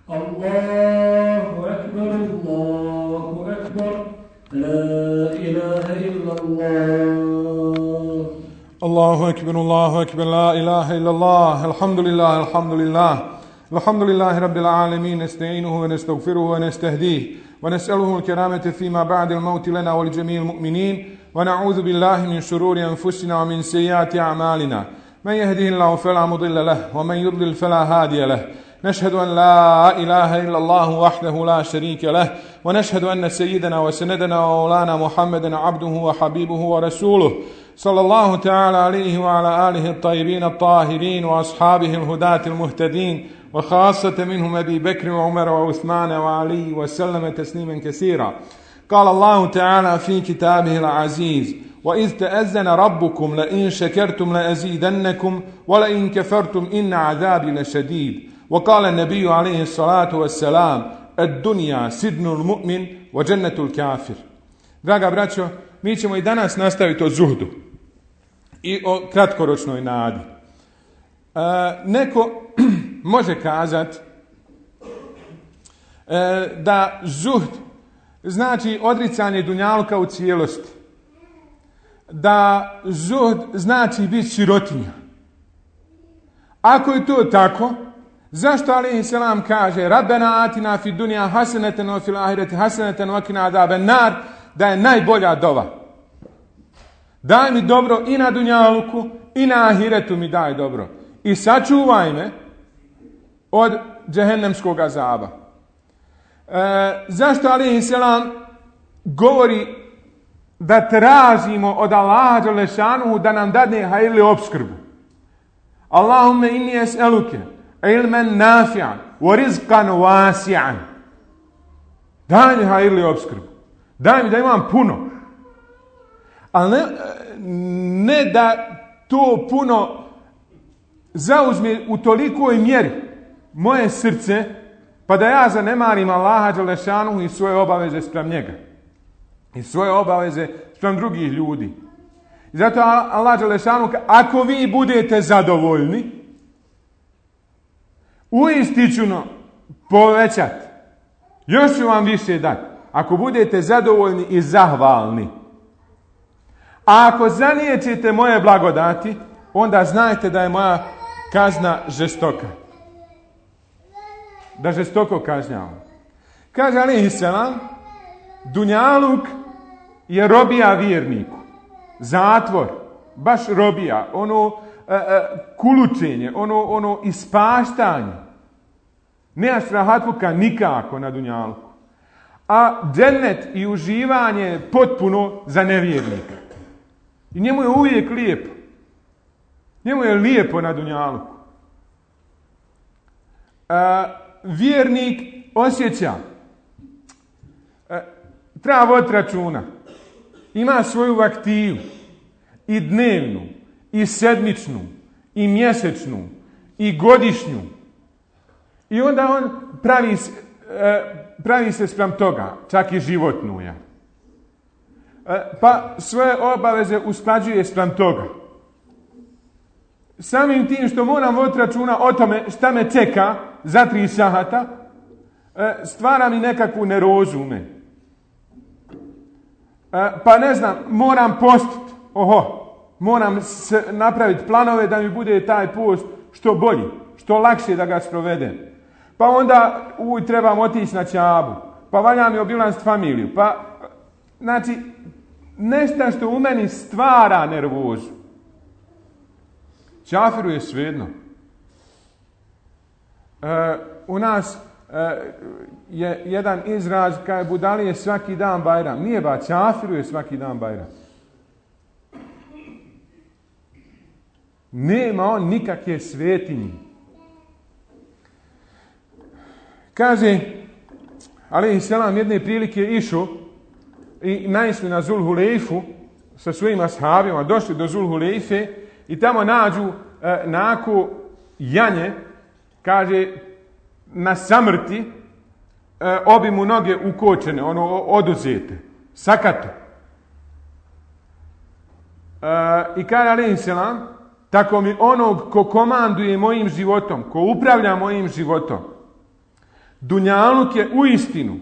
الله أكبر الله أكبر لا إله إلا الله الله أكبر لا إله إلا الله الحمد لله رب العالمين نستعينه ونستغفره ونستهديه ونسأله الكرامة فيما بعد الموت لنا ولجميع المؤمنين ونعوذ بالله من شرور أنفسنا ومن سيئات أعمالنا من يهده الله فلا مضل له ومن يضلل فلا هادي له نشهد أن لا إله إلا الله وحده لا شريك له ونشهد أن سيدنا وسندنا ومولانا محمدا عبده وحبيبه ورسوله صلى الله تعالى عليه وعلى آله الطيبين الطاهرين وأصحابه الهداة المهتدين وخاصة منهم أبي بكر وعمر وعثمان وعلي وسلم تسليما كثيرا. قال الله تعالى في كتابه العزيز وإذ تأذن ربكم لئن شكرتم لأزيدنكم ولئن كفرتم إن عذابي لشديد. وقال النبي عليه الصلاة والسلام الدنيا سجن المؤمن وجنة الكافر. Draga braćo, mi ćemo i danas nastaviti o zuhdu i o kratkoročnoj nadi. Neko može kazati da zuhd znači odricanje dunjaluka u cijelosti, da zuhd znači biti sirotinja. Ako je to tako, zašto alejhi selam kaže Rabbena atina fid dunja haseneten wa fil ahireti haseneten wa qina azaben nar, da je najbolja dova? Daj mi dobro i na dunjaluku i na ahiretu mi daj dobro. I sačuvaj me od džehennemskog azaba. Zašto alejhi selam govori da tražimo od Allaha dželešanuhu da nam dadne hajrli opskrbu? Allahumme inni es'eluke ilmen nafi'an wa rizqan wasi'an. Daj mi hajrli opskrbu. Daj mi da imam puno. Ali ne da to puno zauzme u tolikoj mjeri moje srce, pa da ja zanemarim Allaha dželešanuhu i svoje obaveze spram njega. I svoje obaveze spram drugih ljudi. I zato Allah dželešanuhu, ako vi budete zadovoljni, uistično povećati. Još ću vam više dati. Ako budete zadovoljni i zahvalni. A ako zaniječite moje blagodati, onda znajte da je moja kazna žestoka. Da žestoko kažnjavam. Kaže alejhi selam, dunjaluk je robija vjerniku. Zatvor, baš robija, ono kulučenje, ono ispaštanje. Nemaš rahatluka nikako na dunjaluku. A džennet i uživanje je potpuno za nevjernika. I njemu je uvijek lijepo. Njemu je lijepo na dunjaluku. Vjernik osjeća, treba voditi računa, ima svoju aktivu i dnevnu, i sedmičnu, i mjesečnu, i godišnju. I onda on pravi se spram toga, čak i životnu. Pa svoje obaveze usklađuje spram toga. Samim tim što moram voditi računa o tome šta me čeka za 3 sahata, stvara mi nekakvu nerozu u meni. Pa ne znam, moram postiti. Moram napraviti planove da mi bude taj post što bolji, što lakše da ga sprovedem. Pa onda trebam otići na Čabu, pa valja mi obilaziti familiju. Pa, znači, nešto što u meni stvara nervozu. Čafiru je svejedno. U nas je jedan izraz kaj budali je svaki dan Bajram. Nije ba, čafiru je svaki dan Bajram. Nema on nikakve svetinje. Kaže, alejhi selam jedne prilike išao i naišli na Zulhulejfu sa svojim ashabima, došli do Zulhulejfe i tamo nađu nako janje, kaže, na samrti, obi mu noge ukočene, oduzete, sakato. I kaže alejhi selam, tako mi onog ko komanduje mojim životom, ko upravlja mojim životom, Dunjaluk je uistinu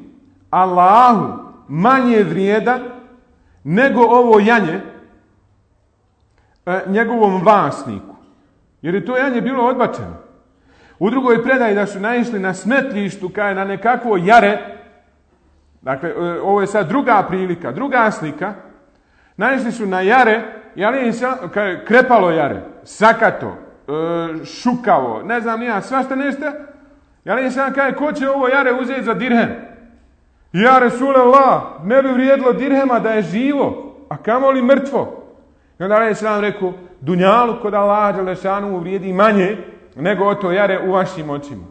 Allahu manje vrijedan nego ovo janje njegovom vlasniku. Jer je to janje bilo odbačeno. U drugoj predaji da su naišli na smetlištu kaj na nekakvo jare. Dakle, ovo je sad druga prilika, druga slika. Naišli su na jare, krepalo jare, sakato, šukavo, ne znam nija, svašta nešto. Ali sam kaže, ko će ovo jare uzeti za dirhem? Ja, Resulallah, ne bi vrijedilo dirhema da je živo, a kamoli mrtvo. I onda je sam rekao, dunjalu kod Allaha dželešanu vrijedi manje nego o to jare u vašim očima.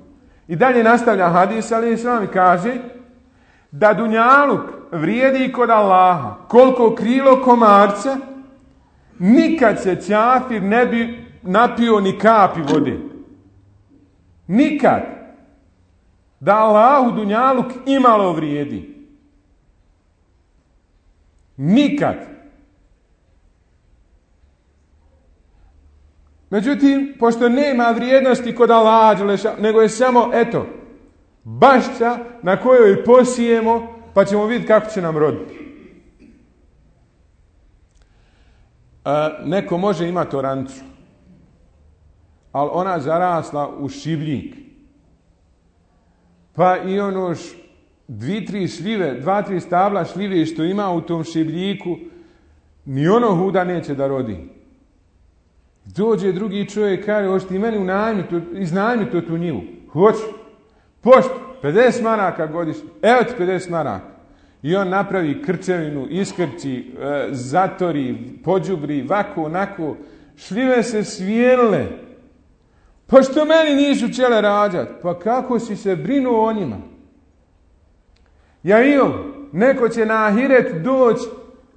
I dalje nastavlja hadis, ali sam kaže da dunjaluk vrijedi kod Allaha koliko krilo komarca, nikad se ćafir ne bi napio ni kapi vode. Nikad. Da Allahu dunjaluk imalo vrijedi. Nikad. Međutim, pošto nema vrijednosti kod Allaha, nego je samo, eto, bašća na kojoj posijemo, pa ćemo vidjeti kako će nam roditi. Neko može imati orancu, ali ona zarasla u šibljik. Pa i ono 2-3 šljive, 2-3 stabla šljive što ima u tom šibljiku, ni ono huda neće da rodi. Dođe drugi čovjek, kaže, hoćeš ti meni iznajmiti tu njivu? Hoću. Pošto, 50 maraka godišnje. Evo ti 50 maraka. I on napravi krčevinu, iskrči, zatori, pođubri, vako, onako. Šljive se svijenile. Pa što meni nisu čele rađat? Pa kako si se brinuo o njima? Ja neko će na ahiret doći,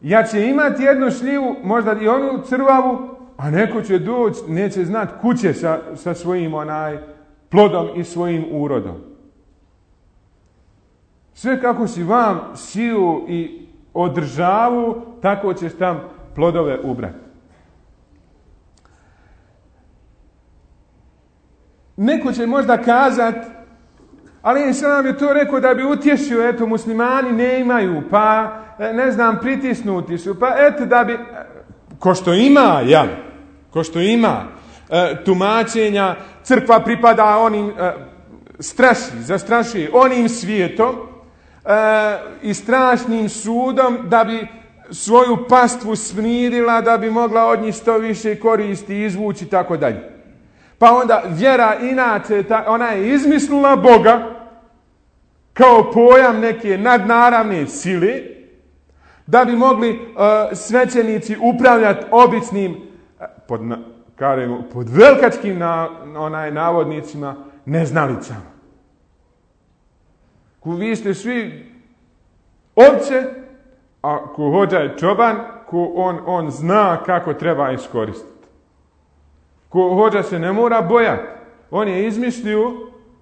ja će imati jednu šljivu, možda i onu crvavu, a neko će doći, neće znati kuće sa svojim plodom i svojim urodom. Sve kako si vam siju i održavu, tako ćeš tam plodove ubrati. Neko će možda kazat, ali sam je to rekao da bi utješio, eto, muslimani ne imaju, pa, ne znam, pritisnuti su, pa, eto, da bi, ko što ima tumačenja, crkva pripada onim, zastraši onim svijetom i strašnim sudom da bi svoju pastvu smirila, da bi mogla od njih što više koristi izvući, tako dalje. Pa onda vjera inače, ona je izmislila Boga kao pojam neke nadnaravne sile, da bi mogli svećenici upravljati običnim, pod velikačkim navodnicima, neznalicama. Vi ste svi ovce, a ko hođa je čoban, ko on zna kako treba iskoristiti. Ko hođa se ne mora bojati. On je izmislio,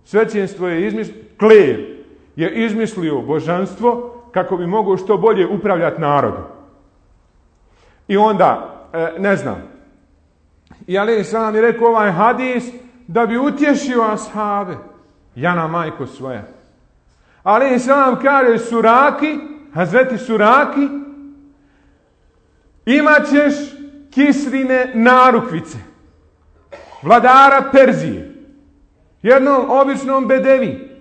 svećenstvo je izmislio, kler je izmislio božanstvo kako bi mogao što bolje upravljati narodom. I onda, ne znam, i alejhi selam je rekao ovaj hadis da bi utješio ashabe. Jana majko svoja. Alejhi selam kaže Suraki, Hazreti Suraki, imat ćeš Kisrine narukvice, vladara Perzije, jednom običnom bedevi.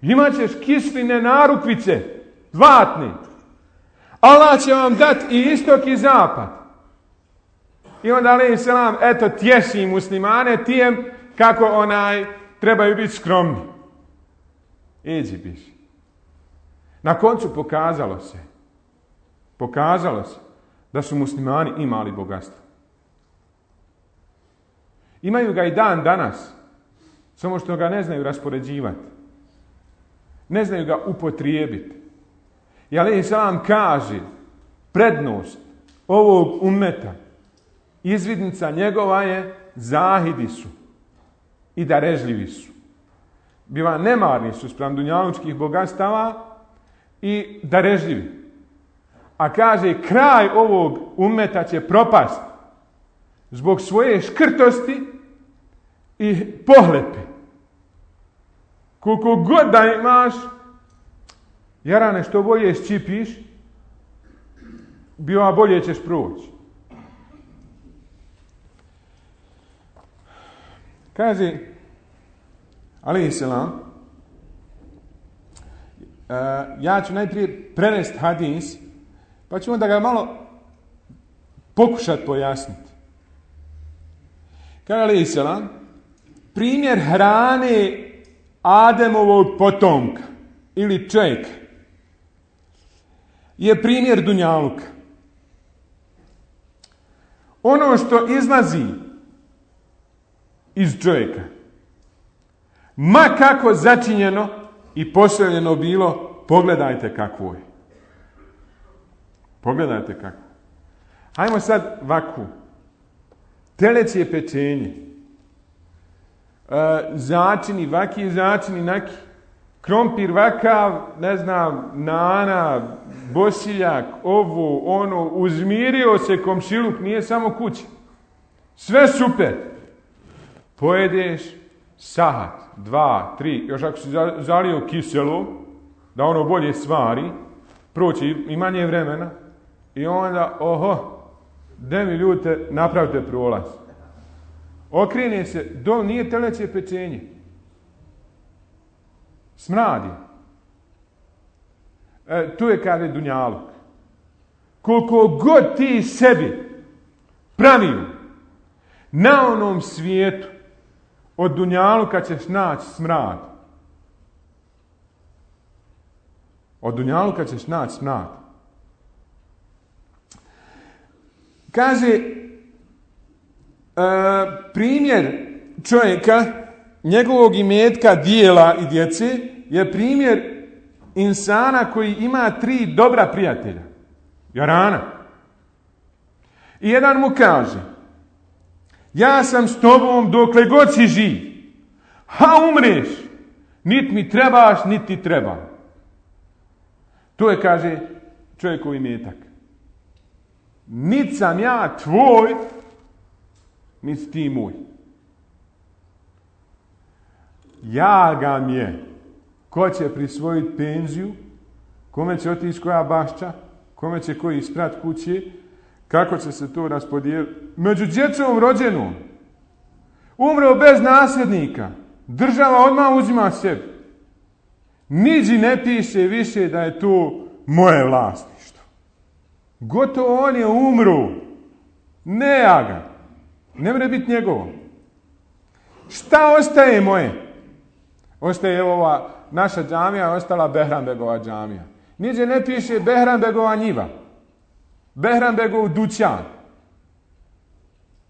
Imat ćeš Kisrine narukvice, zlatne. Allah će vam dati i istok i zapad. I onda alejhi selam, eto, tješi muslimane tijem kako trebaju biti skromni. Iđi piši. Na koncu pokazalo se da su muslimani imali bogatstvo. Imaju ga i dan danas, samo što ga ne znaju raspoređivati. Ne znaju ga upotrijebiti. I alejhi selam kaže, prednost ovog ummeta, izvidnica njegova je zahidi su i darežljivi su. Biva nemarni su spram dunjalučkih bogatstava i darežljivi. A kaže, kraj ovog ummeta će propast zbog svoje škrtosti i pohlepe. Koliko god da imaš, jarane, što bolje ščipiš, bolje ćeš proći. Kaže, alejhi selam, ja ću najprije prevesti hadis, pa ću onda ga malo pokušati pojasniti. Kaže alejhi selam, primjer hrane Ademovog potomka ili čovjeka je primjer dunjaluka. Ono što izlazi iz čovjeka, ma kako začinjeno i postavljeno bilo, pogledajte kakvo je. Pogledajte kako. Hajmo sad vaku. Teleće pečenje. Začini, vaki, začini, naki. Krompir, vakav, ne znam, nana, bosiljak, ovo, ono, uzmirio se komšiluk, nije samo kuća. Sve super. Pojedeš sahat, 2, 3, još ako si zalio kiselo, da ono bolje svari, proći i manje vremena, i onda, de mi ljute, napravite prolaz. Okrene se, nije teleće pečenje. Smradi. Tu je, kaže, dunjaluk. Koliko god ti sebi pravio na onom svijetu, od dunjaluka ćeš naći smrad. Od dunjaluka ćeš naći smrad. Kaže, primjer čovjeka, njegovog imetka, dijela i djece, je primjer insana koji ima 3 dobra prijatelja. Jarana. I jedan mu kaže, ja sam s tobom dokle god si živ. Umreš. Nit mi trebaš, nit ti trebam. To je, kaže, čovjekov imetak. Nit sam ja tvoj, nit ti moj. Jaga mi je. Ko će prisvojiti penziju, kome će otići koja bašća, kome će koji isprat kuće, kako će se to raspodijeliti. Među djecom rođenom, umreo bez nasljednika, država odmah uzima sebi. Niđi ne piše više da je to moje vlasništvo. Gotovo on je umro. Ne ja ga. Ne mre biti njegovo. Šta ostaje moje? Ostaje ova naša džamija, ostala Behranbegova džamija. Niđe ne piše Behranbegova njiva. Behranbegov dućan.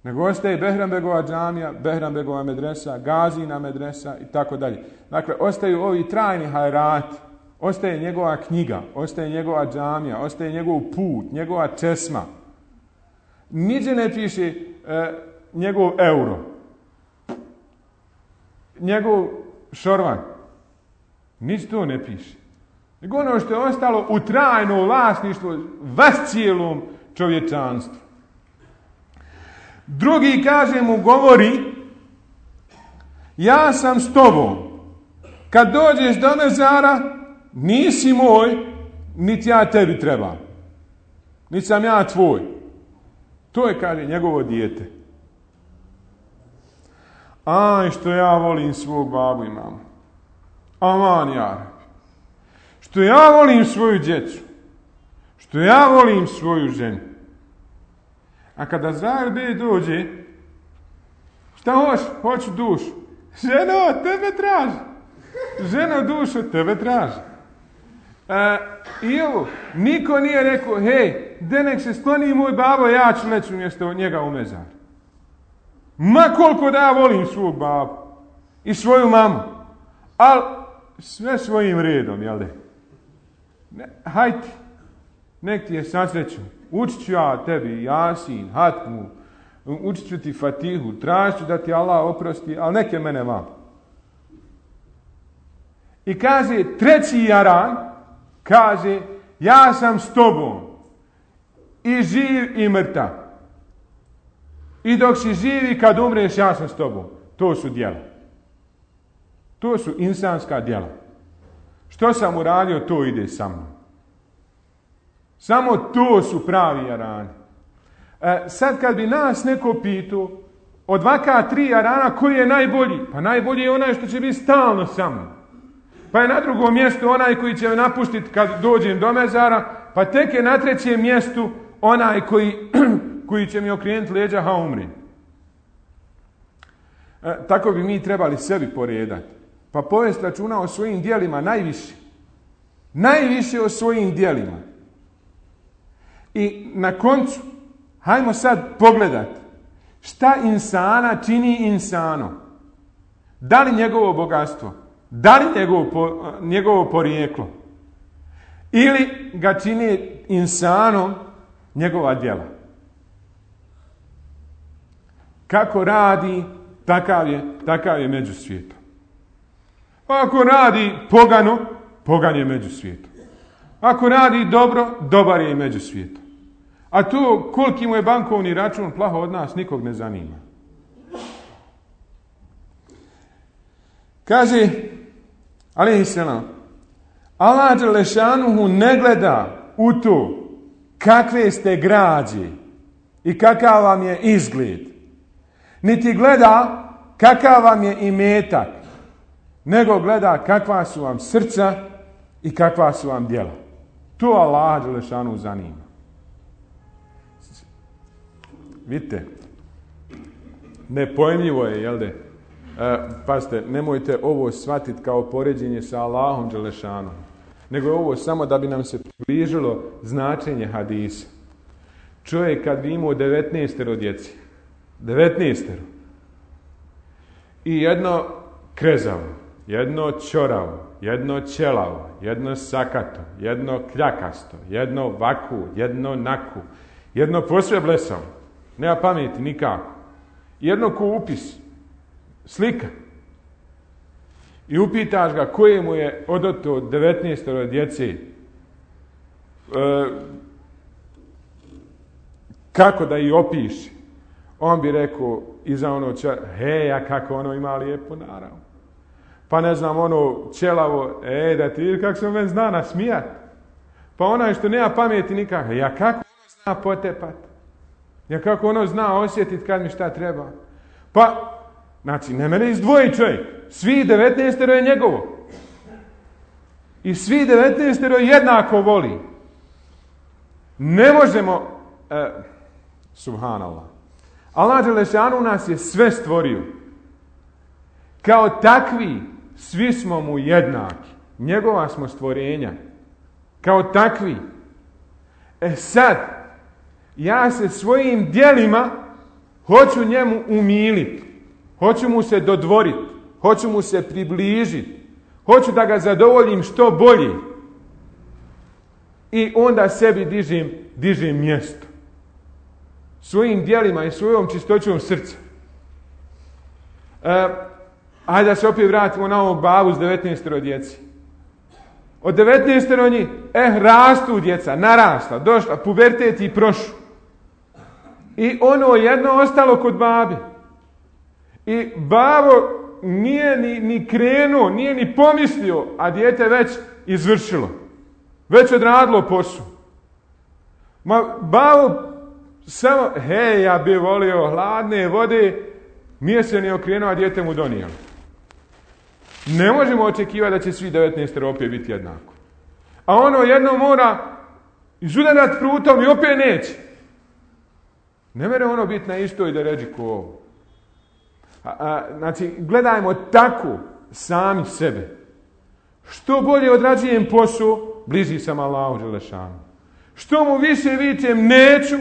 Nego ostaje Behranbegova džamija, Behranbegova medresa, Gazina medresa i tako dalje. Dakle, ostaju ovi trajni hajrati. Ostaje njegova knjiga, ostaje njegova džamija, ostaje njegov put, njegova česma. Niđe ne piše njegov euro. Njegov šorvan. Nič to ne piše. Nego ono što je ostalo u trajno vlasništvo vas cijelom čovječanstvu. Drugi, kaže, mu govori, ja sam s tobom. Kad dođeš do mezara, nisi moj, niti ja tebi trebam. Niti sam ja tvoj. To je, kaže, njegovo dijete. Aj, što ja volim svog babu i mamu. Aman, ja. Što ja volim svoju djecu. Što ja volim svoju ženu. A kada Azrail bej dođe, šta hoćeš? Hoću dušu. Ženo, tebe traži. Ženo, dušu, tebe traži. I ovo, niko nije rekao, hej, de nek se skloni moj babo, ja ću leći umjesto njega u mezar. Ma koliko da ja volim svog babu i svoju mamu, ali sve svojim redom, jel de? Hajde, nek ti je sasreću. Učit ću ja tebi Jasin, Hatmu, učit ću ti Fatihu, tražit ću da ti Allah oprosti, ali neke mene vam. I kaže, treći jaran, kaže, ja sam s tobom i živ i mrtav. I dok si živi, kad umreš, ja sam s tobom. To su djela. To su insanska djela. Što sam uradio, to ide sa mnom. Samo to su pravi jarani. Sad kad bi nas neko pitao od ovaka 3 jarana koji je najbolji, pa najbolji je onaj što će biti stalno sa mnom. Pa je na drugom mjestu onaj koji će me napustiti kad dođem do mezara, pa tek je na 3. mjestu onaj koji će mi okrenuti leđa, ha umri. Tako bi mi trebali sebi poredati. Pa povesti računa o svojim djelima najviše. Najviše o svojim djelima. I na koncu, hajmo sad pogledati šta insana čini insanom. Da li njegovo bogatstvo? Da li njegovo porijeklo? Ili ga čini insanom njegova djela? Kako radi, takav je među svijetom. Ako radi pogano, pogan je među svijetom. Ako radi dobro, dobar je i među svijetom. A to koliki mu je bankovni račun, plaho od nas nikog ne zanima. Kaže, alejhi selam, Allah dželešanuhu ne gleda u to kakve ste građe i kakav vam je izgled. Niti gleda kakav vam je imetak, nego gleda kakva su vam srca i kakva su vam djela. To Allah dželešanuhu zanima. Vidite, nepojmljivo je, jel de? Pazite, nemojte ovo shvatiti kao poređenje sa Allahom dželešanuhu, nego je ovo samo da bi nam se približilo značenje hadisa. Čovjek kad bi imao 19 djeci, 19 i jedno krezavo, jedno ćoravo, jedno ćelavo, jedno sakato, jedno kljakasto, jedno vaku, jedno naku, jedno posve blesavo, nema pameti nikako, jedno ko upis, slika. I upitaš ga koje mu je odato 19 djece, kako da ih opiši. On bi rekao iza ono heja kako ono ima lijepo naravno. Pa ne znam ono ćelavo, da ti kako se on zna nasmijat. Pa onaj što nema pameti nikako, ja kako ono zna potepat. Ja kako ono zna osjetiti kad mi šta treba. Pa znači, ne mene izdvoji čovjek. Svi 19 je njegovo. I svi 19 jednako voli. Ne možemo... subhanallah. Allah dželešanu nas je sve stvorio. Kao takvi, svi smo mu jednaki. Njegova smo stvorenja. Kao takvi. Sad, ja se svojim djelima hoću njemu umiliti. Hoću mu se dodvoriti, hoću mu se približiti, hoću da ga zadovoljim što bolje. I onda sebi dižem mjesto. Svojim djelima i svojom čistoćom srca. Hajde da se opet vratimo na ovog babu s 19 djeci. Od 19 njih, rastu djeca, narasla, došla, pubertet i prošlo. I ono jedno ostalo kod babi. I babo nije ni krenuo, nije ni pomislio, a dijete već izvršilo. Već odradilo posao. Babo samo, ja bi volio hladne vode, nije se ni okrenuo, a dijete mu donijelo. Ne možemo očekivati da će svi 19 opet biti jednako. A ono jedno mora izudarat prutom i opet neće. Ne mere ono biti na istoj deređi ko ovo. Znači, gledajmo tako sami sebe. Što bolje odrađujem posao, bliži sam Allahu dželešanu. Što mu više vičem neću,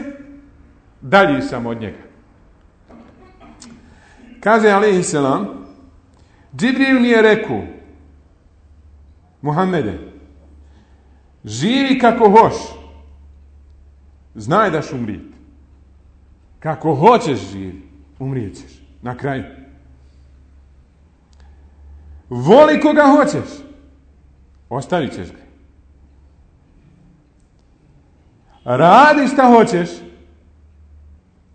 dalji sam od njega. Kaže alejhi selam, Džibril mi je rekao, Muhammede, živi kako hoš, znaj da ćeš umrijeti. Kako hoćeš živi, umrijet ćeš. Na kraju. Voli koga hoćeš, ostavit ćeš ga. Radi šta hoćeš,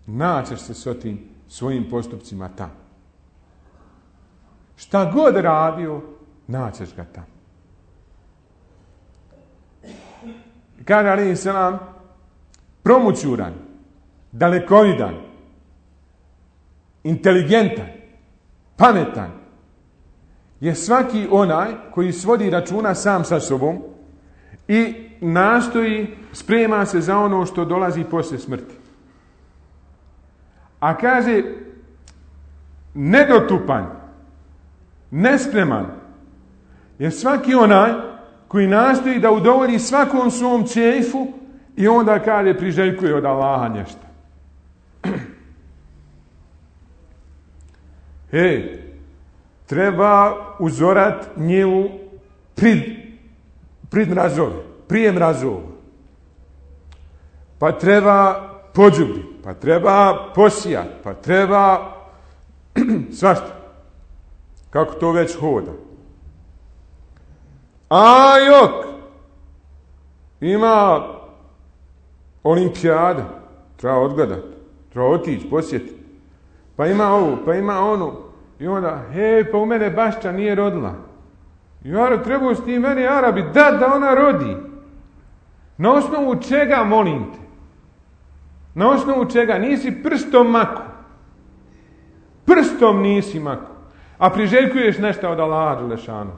naćeš se s tim svojim postupcima tamo. Šta god radio, naćeš ga tamo. Kaže alejhi selam, promućuran, dalekovidan, inteligentan, pametan je svaki onaj koji svodi računa sam sa sobom i nastoji, sprema se za ono što dolazi poslije smrti. A kaže, nedotupan, nespreman je svaki onaj koji nastoji da udovolji svakom svom čefu i onda kaže priželjkuje od Allaha nešto. Treba uzorat njivu prid mrazove, prije mrazova. Pa treba pođubri, pa treba posijat, pa treba svašta. Kako to već hoda. A jok, ima olimpijada, treba odgledat, treba otići, posjetiti. Pa ima ovo, pa ima ono. I onda, pa u mene bašća nije rodila. Jaro, trebao s tim meni Arabi da ona rodi. Na osnovu čega, molim te? Na osnovu čega? Nisi prstom mako. Prstom nisi mako. A priželjkuješ nešto od Allaha dželešanu.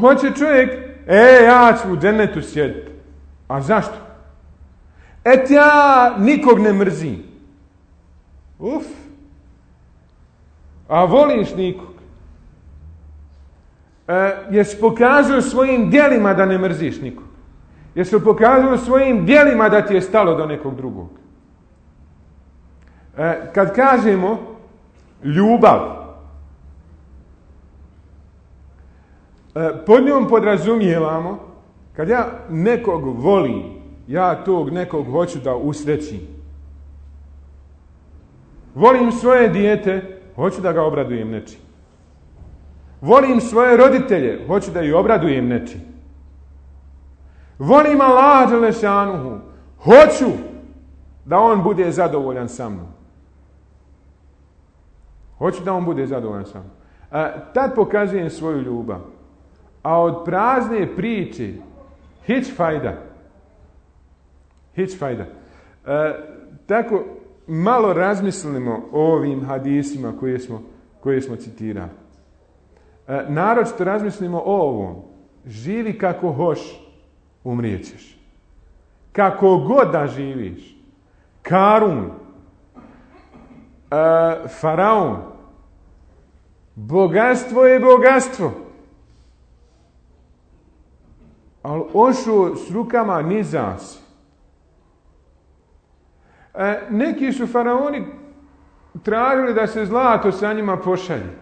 Hoće čovjek, ja ću u džennetu sjediti. A zašto? Ja nikog ne mrzim. A voliš nikog. Jesi pokazao svojim djelima da ne mrziš nikog. Jesi pokazao svojim djelima da ti je stalo do nekog drugog. Kad kažemo ljubav, pod njom podrazumijevamo, kad ja nekog volim, ja tog nekog hoću da usrećim. Volim svoje dijete, hoću da ga obradujem nečim. Volim svoje roditelje, hoću da ih obradujem nečim. Volim Allaha dželešanuhu, hoću da on bude zadovoljan sa mnom. Hoću da on bude zadovoljan sa mnom. Tad pokazujem svoju ljubav. A od prazne priče, hić fajda. Hić fajda. Tako malo razmislimo o ovim hadisima koje smo citirali. Naročito razmislimo o ovom. Živi kako hoš, umrijećeš. Kako god da živiš. Karun, Faraon, bogatstvo je bogatstvo. Ali ošo s rukama niza si. Neki su faraoni tražili da se zlato sa njima pošalje.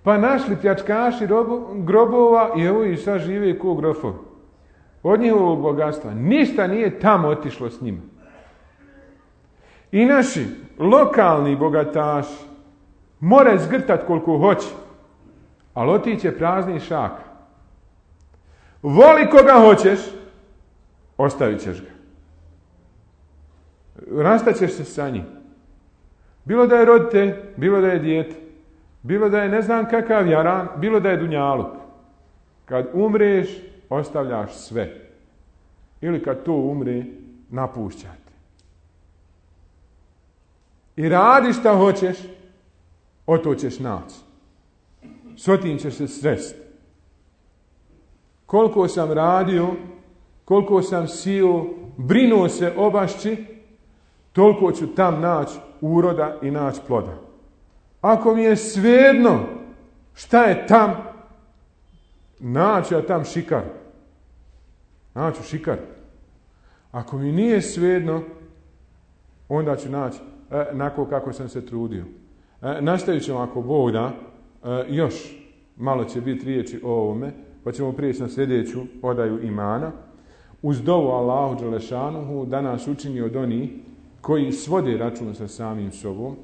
Pa našli pljačkaši grobova i evo i sad žive ko grofovi. Od njihovog bogatstva. Ništa nije tamo otišlo s njima. I naši lokalni bogataši more zgrtat koliko hoće, ali otiće prazni šak. Voli koga hoćeš, ostavit ćeš ga. Rastaćeš se sa njim. Bilo da je roditelj, bilo da je dijete, bilo da je ne znam kakav jaran, bilo da je dunjaluk. Kad umreš, ostavljaš sve. Ili kad to umre, napušćate. I radi šta hoćeš, o to ćeš naći. S otim ćeš se sresti. Koliko sam radio, koliko sam sio, brinuo se o bašči, toliko ću tam naći uroda i naći ploda. Ako mi je svejedno šta je tam, naću ja tam šikar. Naću šikar. Ako mi nije svejedno, onda ću naći onako kako sam se trudio. Nastavit ćemo ako Bog da, još malo će biti riječi o ovome, pa ćemo prijeći na sljedeću odaju imana. Uz dovu Allahu dželešanuhu da nas učini od onih koji svode račun sa samim sobom,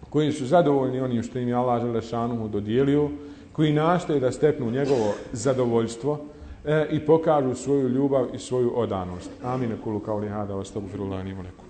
koji su zadovoljni onim što im je Allah dželešanuhu dodijelio, koji nastoje da steknu njegovo zadovoljstvo i pokažu svoju ljubav i svoju odanost. Amin. Kulu kauli hada, astagfirullahi li wa lakum.